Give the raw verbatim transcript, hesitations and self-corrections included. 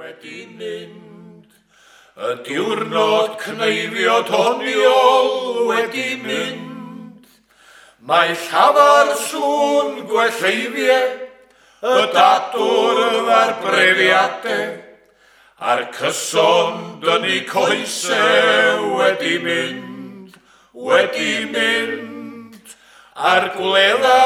wedi mynd. Y diwrnod cneifio doniol wedi mynd. Mae llafar sŵn gwelleiddiau, y dadwrdd a'r brefiadau, a'r cyson dynnu coesau wedi mynd, wedi mynd. A'r gwledda